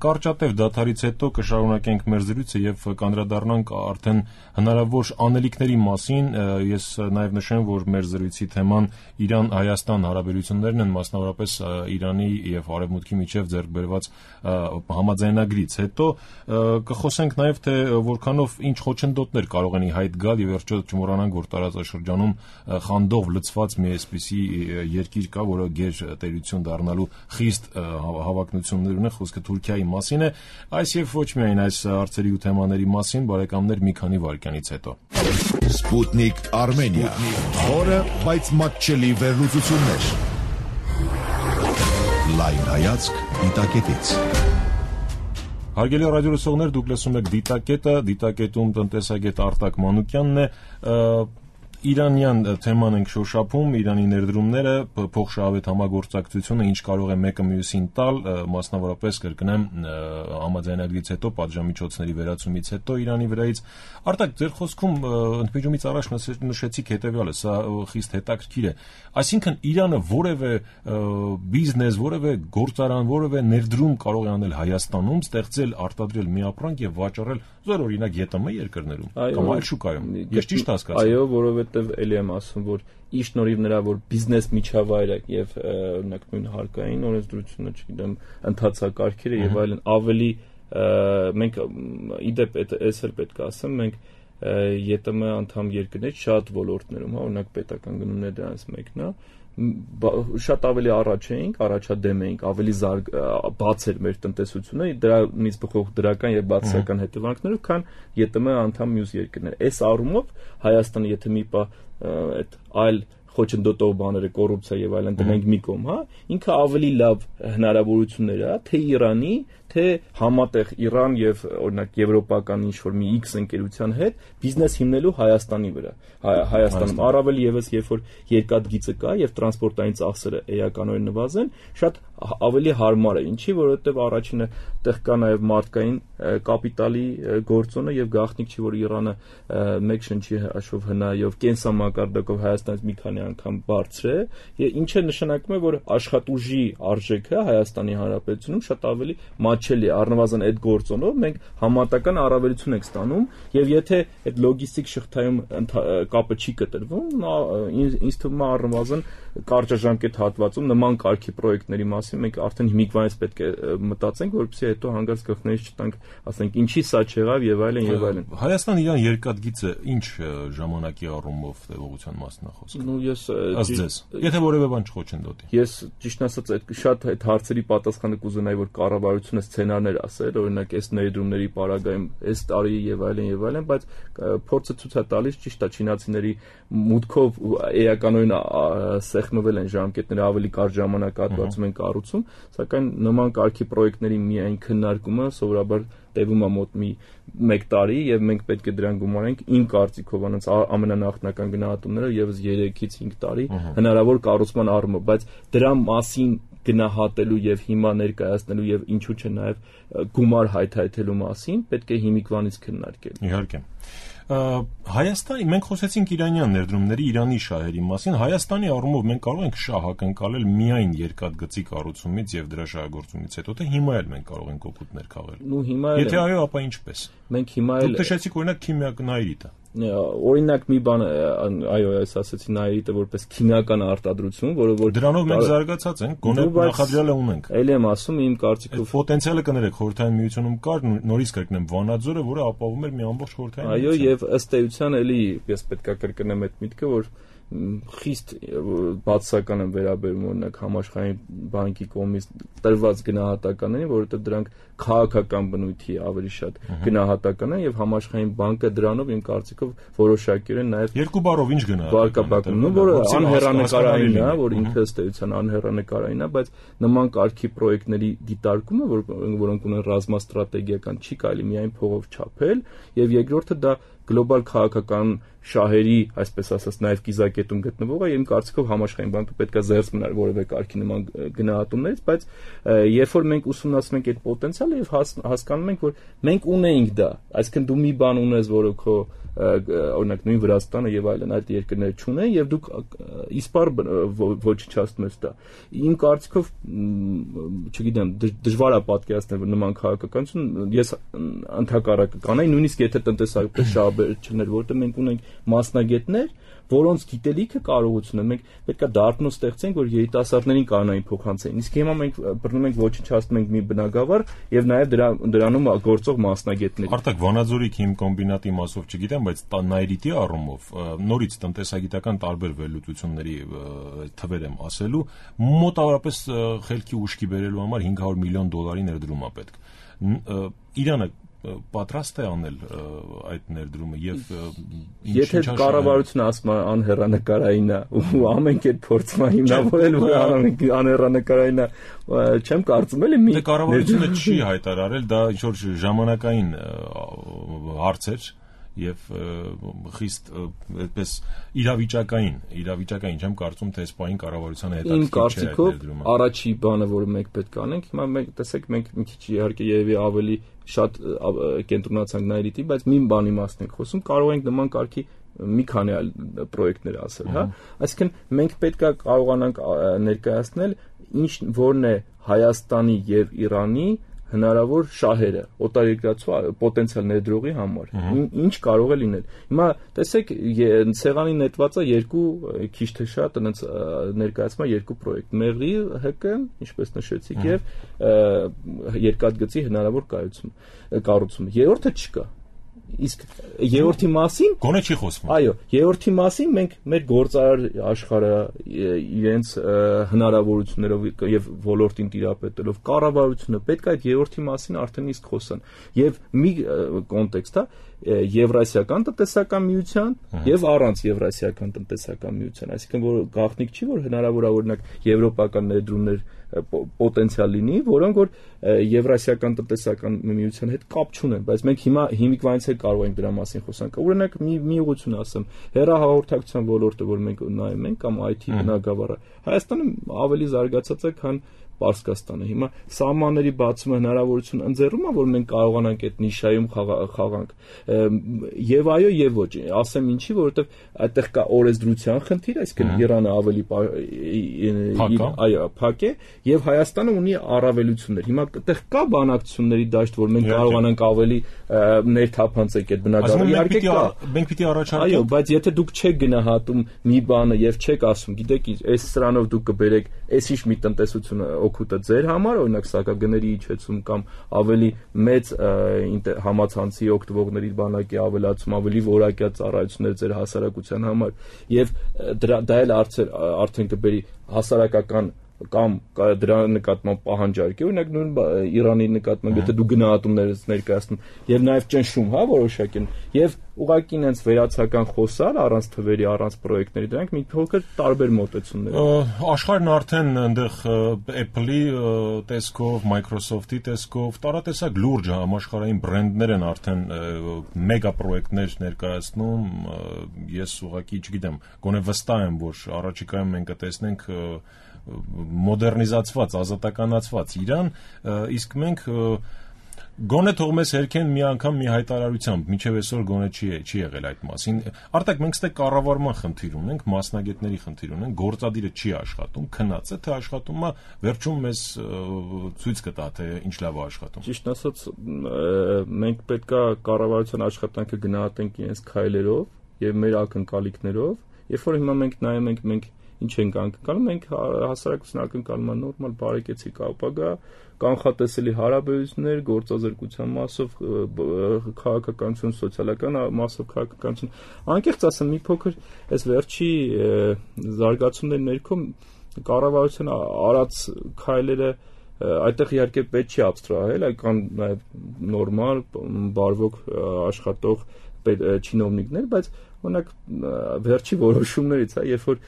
կարճատև դադարից հետո կշարունակենք մեր զրույցը եւ կանդրադառնանք արդեն հնարավոր անելիքների մասին։ Ես նաեւ նշեմ, որ մեր զրույցի թեման Իրան-Հայաստան հարաբերություններն են, մասնավորապես Իրանի եւ Արևմուտքի միջև ձեռք բերված համաձայնագրից հետո կխոսենք նաև թե որքանով ինչ խոչընդոտներ կարող են ի հայտ գալ եւ վերջո չմոռանանք որ տարածաշրջանում խանդով լցված մի այսպիսի երկիր կա, որը գեր տերություն դառնալու խիստ հավակնություններ ունի, խոսքը Թուրքիայի մասին է, այս եւ ոչ միայն այս հարցերի ու թեմաների մասին, բարեկամներ, մի քանի վայրկյանից հետո։ Սպուտնիկ Արմենիա, խորը, բայց մատչելի վերլուծություններ։ Լայն հայացք դիտակետից։ Հարգելի ռադիոլսողներ, դուք լսում եք Դիտակետը, Դիտակետում տնտեսագետ Արտակ Մանուկյանն է, Իրանյան թեման ենք շոշափում, Իրանի ներդրումները, փոխշահավետ համագործակցությունը, ինչ կարող է մեկը մյուսին տալ, մասնավորապես կրկնեմ համաձայնագրից հետո, պատժամիջոցների վերացումից հետո Իրանի վրայից։ Արտակ, ձեր խոսքում ընդմիջումից առաջ նշեցիք հետևյալը, սա խիստ հետաքրքիր է։ Այսինքն Իրանը որևէ բիզնես, որևէ գործարան, որևէ ներդրում կարող է անել Հայաստանում, ստեղծել, արտադրել մի ապրանք եւ վաճառել զոր օրինակ ԵՏՄ երկրներում կամ այլ շուկայում։ Ես ճիշտ հասկացա։ Այո, որովհետեւ էլի եմ ասում, որ ի շնորհիվ նրա որ բիզնես միջավայրը եւ օրինակ նույն հարկային օրենսդրությունը, չգիտեմ, ընթացակարգերը եւ այլն ավելի մենք իդեպ էս էլ պետք է ասեմ, մենք ԵՏՄ անդամ երկրներ շատ ոլորտներում, հա, օրինակ պետական գնումներ դրանց մեկն է, շատ ավելի առաջ էինք, առաջադեմ էինք, ավելի զարգ բաց էր մեր տնտեսությունը, դրանից բխող դրական եւ բացասական հետևանքներով, քան ԵՏՄ անդամ մյուս երկրներ։ Այս առումով Հայաստանը եթե մի պա այդ այլ խոչընդոտող բաները, կոռուպցիա եւ այլն դնենք մի կողմ, հա, ինքը ավելի լավ հնարավորություններ է, թե Իրանի, թե համատեղ Իրան եւ օրինակ եվրոպական ինչ-որ մի X ընկերության հետ բիզնես հիմնելու Հայաստանի վրա։ Հայաստանում առավել եւս երբ որ երկաթգիծը կա եւ տրանսպորտային ծախսերը էականորեն նվազեն, շատ ավելի հարմար է, ինչի, որովհետեւ առաջինը տեղ կա նաեւ մարդկային կապիտալի գործոնը եւ գաղտնիք չի, որ Իրանը մեկ շնչի հաշվով հնայով կենսամակարդակով Հայաստանից մի քանի անգամ բարձր է, ինչը նշանակում է, որ աշխատուժի արժեքը Հայաստանի Հանրապետությունում շատ ավելի մատչելի է, առնվազն այդ գործոնով մենք համատական առավելություն ենք ստանում, եւ եթե այդ լոգիստիկ շղթայում կապը չի կտրվում, ինձ թվում է առնվազն կարճաժամկետ հատվածում նման կարգի պրոյեկտների մասին մենք արդեն հիմիկվանից պետք է մտածենք, որպեսզի հետո հանգարց գլխներից չտանք, ասենք ինչի սա չեղավ եւ այլն եւ այլն։ Հայաստան Իրան երկաթգիծը ինչ ժամանակի առումով տևողության մասն է խոսքը։ Ну ես ասես, եթե որևէ բան չխոչընդոտի։ Ես ճիշտ ասած այդ շատ այդ հարցերի պատասխանը կուզենայի, որ կառավարությունը սցենարներ ասել, օրինակ այս ներդրումների պարագայում այս տարի եւ այլն եւ այլն, բայց փորձը ցույց է տալիս ճիշտ է չինացիների մուտքով էականորեն սեղմվել են ժամկետները, ավելի կարճ ժամանակահատվածում են կառուցում, սակայն նման կարգի պրոյեկտների միայն քննարկումը սովորաբար տևում է մոտ մի մեկ տարի եւ մենք պետք է դրան գումարենք իմ կարծիքով անց ամենանախնական գնահատումները եւս երեքից հինգ տարի հնարավոր կառուցման առումով, բայց դրա մասին գնահատելու եւ հիմա ներկայացնելու եւ ինչու՞ չէ նաեւ գումար հայթայթելու մասին պետք է հիմիկվանից քննարկել։ Իհարկե։ Հայաստանի մենք խոսեցինք իրանյան ներդրումների, Իրանի շահերի մասին, Հայաստանի առումով մենք կարող ենք շահ ակնկալել միայն երկաթգծի կառուցումից եւ դրա շահագործումից հետո, թե հիմա էլ մենք կարող ենք օգուտներ քաղել։ Ну հիմա էլ Եթե այո, ապա ինչպես։ Մենք հիմա էլ Դուք նշեցիք օրինակ քիմիականայրիտը։ Օրինակ մի բան, այո, ես ասացի նայրիտը որպես քիմիական արտադրություն, որը որ դրանով մենք զարգացած ենք, գոնե նախադրյալը ունենք։ Էլի եմ ասում, իմ կարծիքով պոտենցիալը կներեք Խորհրդային Միությունում կար, նորից կրկնեմ Վանաձորը, որը ապահովում էր մի ամբողջ Խորհրդային Միություն։ Այո, եւ ըստ էության էլի ես պետք է կրկնեմ այդ միտքը, որ խիստ բացասական են վերաբերում օրինակ համաշխարհային բանկի կողմից տրված գնահատականներին, որովհետև դրանք քաղաքական բնույթի ավելի շատ գնահատական են եւ համաշխարհային բանկը դրանով իմ կարծիքով որոշակիորեն նաեւ երկու բառով ինչ գնահատական, նո որը անհեռանկարային է, որ ինքը ըստ էության անհեռանկարային է, բայց նման կարգի պրոյեկտների դիտարկումը, որոնք ունեն ռազմաստրատեգիական, չի կարելի միայն փողով չափել, եւ երկրորդը դա գլոբալ քաղաքական շահերի, այսպես ասած, նաև կիզակետում գտնվող է, իմ կարծիքով համաշխարհային բանկը պետք է զերծ մնար որևէ կարգի նման գնահատումներից, բայց երբ որ մենք ուսումնասիրում ենք այդ պոտենցիալը եւ հասկանում ենք, որ մենք ունենք դա, այսինքն դու մի բան ունես, որը քո օրինակ նույն Վրաստանը եւ այլն այդ երկրները չունեն եւ դուք իսպար ոչնչացնում ես դա։ Իմ կարծիքով, չգիտեմ, դժվար է պատկերացնել նման քաղաքականություն, ես ընդհակառակը կանեի, նույնիսկ եթե տնտեսական շահեր չներ, որտեղ մենք ունենք մասնագետներ, որոնց գիտելիքը կարողությունը մենք պետքա դարբնոց ստեղծենք, որ երիտասարդներին կանոնային փոխանցեն։ Իսկ հիմա մենք բռնում ենք ոչնչացնում ենք մի բնակավար եւ նաեւ դրա դրանում գործող մասնագետներ։ Արտակ Վանաձորի քիմկոմբինատի մասով չգիտեմ, բայց նայրիտի առումով նորից տնտեսագիտական տարբեր վերլուծությունների թվեր եմ ասելու, մոտավորապես խելքի ուշքի բերելու համար հինգ հարյուր միլիոն դոլարի ներդրում է պետք։ Իրանը պատրաստ է անել այդ ներդրումը եւ եթե կառավարությունը ասում է անհեռանկարային է ու ամեն կերպ փորձում է հիմնավորել որ անհեռանկարային է, չեմ կարծում էլի մի կառավարությունը չի հայտարարել, դա ինչ որ ժամանակային հարց էր եւ խիստ այդպես իրավիճակային, իրավիճակային չեմ կարծում թե այս պահին կառավարությանը հետաքրքիր չէ այդ ներդրումը։ Առաջի բանը, որը մենք պետք է անենք, հիմա մենք տեսեք մենք մի քիչ իհարկե երևի ավելի շատ կենտրոնացանք նայրիտի, բայց մի բանի մասն ենք խոսում, կարող ենք նման կարգի մի քանի այլ պրոյեկտներ ասել, հա։ Այսինքն մենք պետք է կարողանանք ներկայացնել ինչ որն է Հայաստանի եւ Իրանի հնարավոր շահերը օտարերկրացու պոտենցիալ ներդրողի համար ինչ կարող է լինել։ Հիմա տեսեք ցեղանի նետվածը երկու քիչ թե շատ այնց ներկայացնում է երկու պրոյեկտ՝ Մեղրի ՀԿ, ինչպես նշեցիք, եւ երկաթգծի հնարավոր կայություն կառուցումը։ Երրորդը չկա։ Իսկ երրորդի մասին գոնե չի խոսվում։ Այո, երրորդի մասին մենք մեր գործարար աշխարհը իրենց հնարավորություններով եւ ոլորտին տիրապետելով կառավարությունը պետք է այդ երրորդի մասին արդեն իսկ խոսան։ Եվ մի կոնտեքստ է Եվրասիական տնտեսական միության եւ առանց Եվրասիական տնտեսական միության, այսինքն որ գաղտնիք չի որ հնարավոր է օրինակ եվրոպական ներդրումներ պոտենցիալ լինի, որոնք որ Եվրասիական տնտեսական միության հետ կապ չունեն, բայց մենք հիմա հիմիկվանից էլ կարող ենք դրա մասին խոսանք։ Օրինակ մի մի ուղղություն ասեմ, հեռահաղորդակցության ոլորտը, որ մենք նայում ենք կամ այ թի բնագավառը, Հայաստանը ավելի զարգացած է, քան Պարսկաստանը։ Հիմա սահմանների բացումը հնարավորություն ընձեռում է, որ մենք կարողանանք այդ նիշայում խաղանք։ Եվ այո, եւ ոչ։ Ասեմ ինչի, որովհետեւ այդտեղ կա օրենսդրության խնդիր, այսինքն Իրանը ավելի այո, փակ է, եւ Հայաստանը ունի առավելություններ։ Հիմա այդտեղ կա բանակցությունների դաշտ, որ մենք կարողանանք ավելի ներթափանցենք այդ բնակարանը։ Իհարկե կա։ Մենք պիտի առաջարկենք։ Այո, բայց եթե դուք չեք գնահատում մի բանը եւ չեք ասում, գիտեք, այս սրանով դուք կբերեք այսիշ մի տնտեսություն օգուտը ձեր համար, օրինակ սակագների իջեցում կամ ավելի մեծ համացանցի օգտվողների բանակի ավելացում, ավելի որակյա ծառայություններ ձեր հասարակության համար եւ դա էլ արդեն կբերի հասարակական կամ դրա նկատմամբ պահանջարկ է, օրինակ նույն Իրանի նկատմամբ, եթե դու գնահատումներս ներկայացնում եւ նաեւ ճնշում, հա, որոշակի եւ ուղղակի ինձ վերացական խոսալ առանց թվերի, առանց պրոյեկտների, դրանք մի փոքր տարբեր մոտեցումներ են։ Աշխարհն արդեն այնտեղ Apple-ի տեսքով, Microsoft-ի տեսքով տարատեսակ լուրջ համաշխարհային բրենդներ են արդեն մեգա պրոյեկտներ ներկայացնում։ Ես ուղղակի չգիտեմ, գոնե վստահ եմ, որ առաջիկայում մենք կտեսնենք մոդեռնիզացված, ազատականացված Իրան, իսկ մենք գոնե թող մեզ հերքեն մի անգամ մի հայտարարությամբ, մինչև այսօր գոնե չի չի եղել այդ մասին։ Արտակ մենք ստե կառավարման խնդիր ունենք, մասնագետների խնդիր ունենք, գործադիրը չի աշխատում, քնած է, թե աշխատում է, վերջում մեզ ցույց կտա, թե ինչ լավ է աշխատում։ Ճիշտ ասած, մենք պետքա կառավարության աշխատանքը գնահատենք իրենց քայլերով եւ մեր ակնկալիքներով, երբ որ հիմա մենք նայում ենք մենք ինչ ենք անկնկալում, մենք հասարակության ակնկալում ենք նորմալ բարեկեցիկ ապագա, կանխատեսելի հարաբերություններ, գործազրկության մասով քաղաքականություն, սոցիալական մասով քաղաքականություն։ Անկեղծ ասեմ, մի փոքր այս վերջի զարգացումների ներքո կառավարության արած քայլերը այդտեղ իհարկե պետք չի աբստրահել, այլ կան նաև նորմալ, բարվոք աշխատող չինովնիկներ, բայց օրինակ վերջի որոշումներից, հա, երբ որ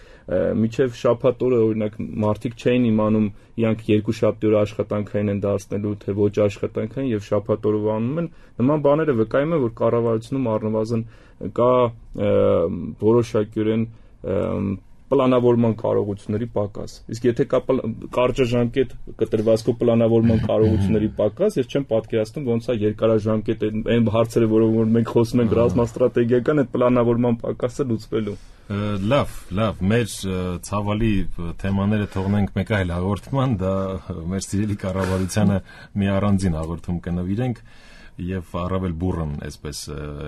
միջև շաբաթ օրը օրինակ մարդիկ չէին իմանում իրանք երկու շաբթի օրը աշխատանքային են դարձնելու, թե ոչ աշխատանքային եւ շաբաթ օրը անում են, նման բաները վկայում են, որ կառավարությունում առնվազն կա որոշակիորեն պլանավորման կարողությունների պակաս։ Իսկ եթե կա կարճաժամկետ կտրվածքով պլանավորման կարողությունների պակաս, ես չեմ պատկերացնում ոնց է երկարաժամկետ այն հարցերը, որոնք մենք խոսում ենք ռազմաստրատեգիական, այդ պլանավորման պակասը լուծվելու։ Լավ, լավ, մեր ցավալի թեմաները թողնենք մեկ այլ հաղորդման, դա մեր սիրելի կառավարությանը մի առանձին հաղորդում կնվիրենք եւ առավել բուրըն այսպես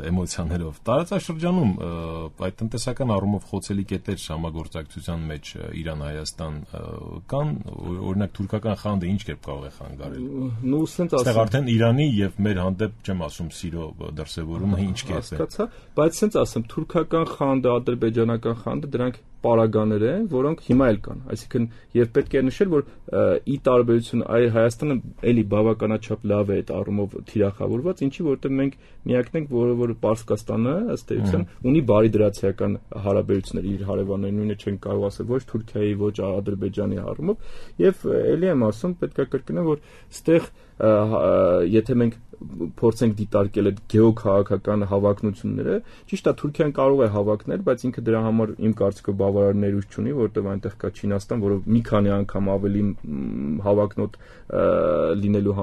էմոցիաներով տարածաշրջանում այդ տնտեսական առումով խոցելի կետեր համագործակցության մեջ Իրան-Հայաստան կան, օրինակ թուրքական խանդը ինչ կերպ կարող է խանգարել։ Նու սենց ասեմ։ Այստեղ արդեն Իրանի եւ մեր հանդեպ չեմ ասում սիրո դրսեւորումը ինչ կերպ է։ Հասկացա, բայց սենց ասեմ, թուրքական խանդը, ադրբեջանական խանդը դրանք պարագաներ են, որոնք հիմա էլ կան։ Այսինքն, եւ պետք է նշել, որ ի տարբերություն այ Հայաստանը էլի բավականաչափ լավ է այդ առումով թիրախավորված, ինչի որտեղ մենք միակն ենք, որը որ Պարսկաստանը ըստ էության ունի բարի դրացիական հարաբերություններ իր հարևանների, նույնը չեն կարող ասել ոչ Թուրքիայի, ոչ Ադրբեջանի առումով, եւ էլի եմ ասում, պետք է կրկնեմ, որ ստեղ եթե մենք փորձենք դիտարկել այդ գեոքաղաքական հավակնությունները, ճիշտ է Թուրքիան կարող է հավակնել, բայց ինքը դրա համար իմ կարծիքով բավարար ներուժ չունի, որտեղ այնտեղ կա Չինաստան, որը մի քանի անգամ ավելի հավակնոտ լինելու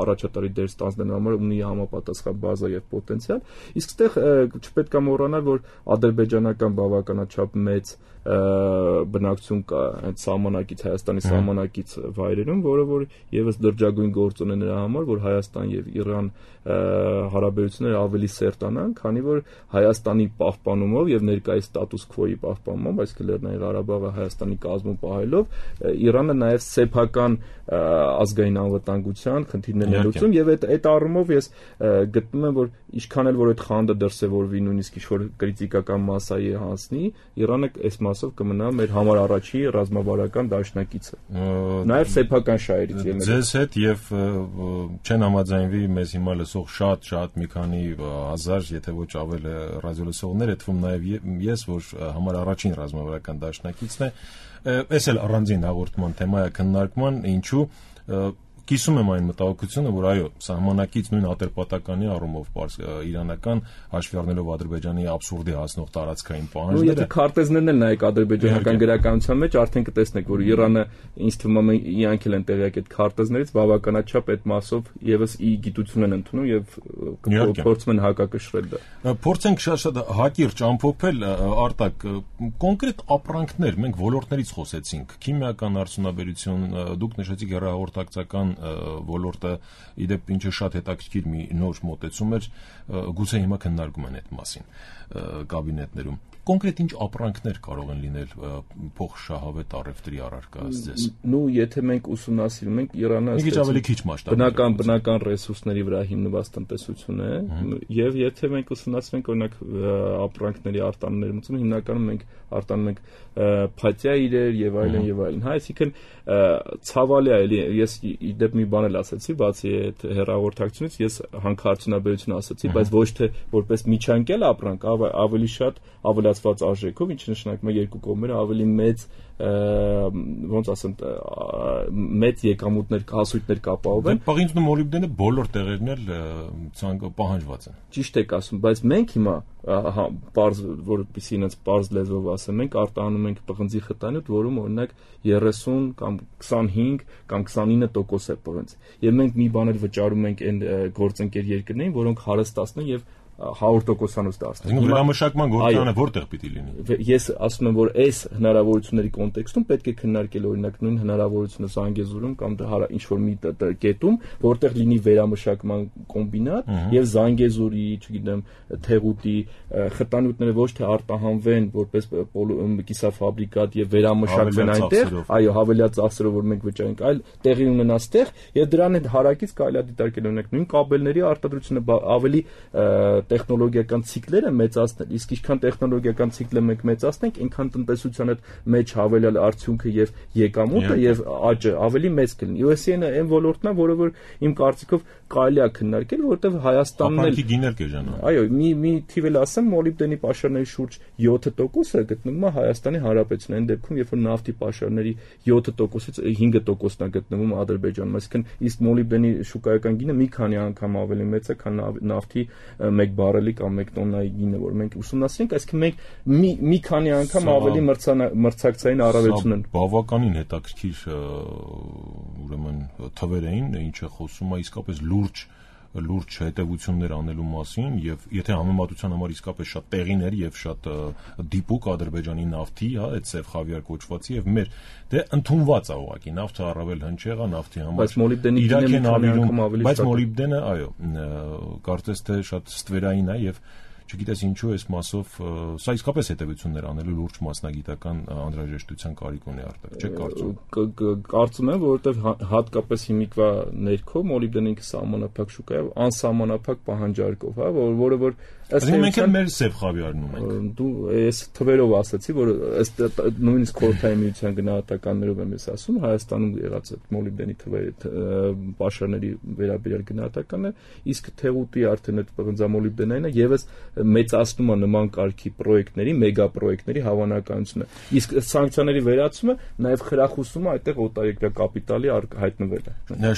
առաջատարի դեր ստանձնելու համար ունի համապատասխան բազա եւ պոտենցիալ, իսկ այդտեղ չպետք է մոռանալ, որ ադրբեջանական բավականաչափ մեծ բնակչություն կա այդ սահմանակից Հայաստանի սահմանակից վայրերում, որը որ եւս դրջագույն գործոն է նրա համար, որ Հայաստան եւ Իրան հարաբերությունները ավելի սերտանան, քանի որ Հայաստանի պահպանումով եւ ներկայիս ստատուս քվոյի պահպանումով, այսինքն Լեռնային Ղարաբաղը Հայաստանի կազմում պահելով, Իրանը նաեւ սեփական ազգային անվտանգության խնդիրներ լուծում եւ այդ այդ առումով ես գտնում եմ, որ ինչքան էլ որ այդ խանդը դրսեւորվի նույնիսկ ինչ-որ կրիտիկական մասայի հասնի, Իրանը այս մասով կմնա մեր համար առաջի ռազմավարական դաշնակիցը։ Նաեւ սեփական շահերից ելնելով։ Ձեզ հետ եւ չեն համաձայնվի մեզ հիմա լսող շատ-շատ մի քանի հազար, եթե ոչ ավել ռադիոլսողներ, այդ թվում նաեւ ես, որ համար առաջին ռազմավարական դաշնակիցն է, այս էլ առանձին հաղորդման թեմա է քննարկման, ինչու կիսում եմ այն մտահոգությունը, որ այո, սահմանակից նույն ատրպատականի առումով իրանական հաշվի առնելով Ադրբեջանի աբսուրդի հասնող տարածքային պահանջները։ Եթե քարտեզներն էլ նայեք ադրբեջանական գրականության մեջ, արդեն կտեսնեք, որ Իրանը ինձ թվում է իրանք էլ են տեղյակ այդ քարտեզներից բավականաչափ այդ մասով եւս ի գիտություն են ընդունում եւ փորձում են հակակշռել դա։ Փորձենք շատ-շատ հակիրճ ամփոփել, Արտակ, կոնկրետ ապրանքներ, մենք ոլորտներից խոսեցինք, քիմիական արդյունաբերություն, դուք նշեցիք հեռահաղորդակցական ոլորտը, իդեպ ինչը շատ հետաքրքիր մի նոր մոտեցում էր, գուցե հիմա քննարկում են այդ մասին կաբինետներում։ Կոնկրետ ինչ ապրանքներ կարող են լինել փոխշահավետ առևտրի առարկայից ձեզ։ Նու եթե մենք ուսումնասիրում ենք Իրանը մի քիչ ավելի քիչ մասշտաբով բնական բնական ռեսուրսների վրա հիմնված տնտեսություն է, եւ եթե մենք ուսումնասիրենք օրինակ ապրանքների արտանետում, հիմնականում մենք արտանում ենք փաթյա իրեր եւ այլն եւ այլն։ Հա, այսինքն ցավալի է, էլի ես իդեպ մի բան էլ ասացի, բացի այդ հեռահաղորդակցությունից, ես հանքարդյունաբերություն ասացի, բայց ոչ թե որպես միջանկյալ ապրանք, ավելի շատ ավելացված արժեքով, ինչը նշանակում է երկու կողմերը ավելի մեծ ոնց ասեմ մեծ եկամուտներ, հասույթներ կապահովեն։ Պաղինձն ու մոլիբդենը բոլոր տեղերն էլ ցանկը պահանջված են։ Ճիշտ եք ասում, բայց մենք հիմա պարզ որպեսզի ինձ պարզ լեզվով ասեմ, մենք արտանում ենք պղնձի խտանյութ, որում օրինակ երեսուն կամ քսանհինգ կամ քսանինը տոկոս է պղնձ։ Եվ մենք մի բան էլ վճարում ենք այն գործընկեր երկրներին, որոնք հարստացնեն եւ հարյուր տոկոսանոց դարձնել։ Հիմա վերամշակման գործարանը որտեղ պիտի լինի։ Ես ասում եմ, որ այս հնարավորությունների կոնտեքստում պետք է քննարկել օրինակ նույն հնարավորությունը Զանգեզուրում կամ ինչ որ մի կետում, որտեղ լինի վերամշակման կոմբինատ եւ Զանգեզուրի, չգիտեմ, Թեղուտի խտանյութները ոչ թե արտահանվեն որպես կիսաֆաբրիկատ եւ վերամշակվեն այնտեղ, այո, հավելյալ ծախսերով, որ մենք վճարենք, այլ տեղի ունենա ստեղ եւ դրան հետ հարակից կարելի է դիտարկել օրինակ նույն կաբելների արտադրությունը ավելի տեխնոլոգիական ցիկլերը մեծացնել, իսկ ինչքան տեխնոլոգիական ցիկլը մենք մեծացնենք, այնքան տնտեսության հետ մեջ հավելյալ արդյունքը եւ եկամուտը եւ աճը ավելի մեծ կլինի։ յու էս էն-ը այն ոլորտն է, որը որ իմ կարծիքով կարելի է քննարկել, որովհետեւ Հայաստանն էլ գիներ կեժանա։ Այո, մի մի թիվ էլ ասեմ, մոլիբդենի պաշարների շուրջ յոթ տոկոսը գտնվում է Հայաստանի Հանրապետությունում, այն դեպքում, երբ որ նավթի պաշարների յոթ տոկոսից հինգ տոկոսն է գտնվում Ադրբեջանում, այսինքն իսկ մոլիբդենի շուկայական գինը մի քանի անգամ ավելի մեծ է, քան նավթի մեկ բարելի կամ մեկ տոննայի գինը, որ մենք ուսումնասիրենք, այսինքն մենք մի մի քանի անգամ ավելի մրցակցային առավելություն են։ Բավականին հետաքրքիր ուրեմն թվեր էին, ինչը խոսում է իսկապես լուրջ լուրջ հետևություններ անելու մասին եւ եթե համեմատության համար իսկապես շատ տեղին էր եւ շատ դիպուկ Ադրբեջանի նավթի, հա, այդ սև խավիար կոչվածի եւ մեր դե ընդունված է ուղղակի նավթը առավել հնչեղ է նավթի համար, բայց մոլիբդենի գինը անգամ ավելի բայց մոլիբդենը, այո, կարծես թե շատ ստվերային է եւ չգիտես ինչու այս մասով սա իսկապես հետևություններ անելու լուրջ մասնագիտական անհրաժեշտության կարիք ունի Արտակ, չէ՞ կարծում։ Կարծում եմ, որովհետև հատկապես հիմիկվա ներքո մոլիբդենը ինքը սահմանափակ շուկա է, անսահմանափակ պահանջարկով, հա, որը որ ըստ մենք էլ մեր սև խավիարն ունենք։ Դու ես թվերով ասացի, որ ըստ նույնիսկ խորհրդային միության գնահատականներով եմ ես ասում, Հայաստանում եղած այդ մոլիբդենի թվերի պաշարների վերաբերյալ գնահատականները, իսկ Թեղուտի արդեն այդ պղնձամոլիբդենային է եւս մեծացնում է նման կարգի պրոյեկտների, մեգա պրոյեկտների հավանականությունը։ Իսկ սանկցիաների վերացումը նաև խրախուսում է այդտեղ օտարերկրյա կապիտալի հայտնվելը։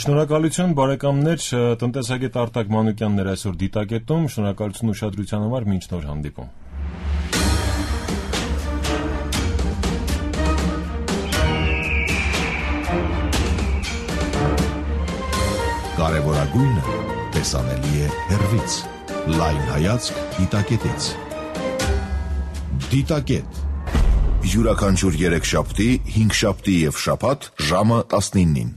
Շնորհակալություն բարեկամներ, տնտեսագետ Արտակ Մանուկյանն էր այսօր դիտակետում, շնորհակալություն ուշադրության համար, մինչ նոր հանդիպում։ Կարևորագույնը տեսանելի է հեռվից։ Լայն հայացք դիտակետից։ Դիտակետ յուրաքանչյուր երեքշաբթի, հինգշաբթի և շաբաթ ժամը տասնինին։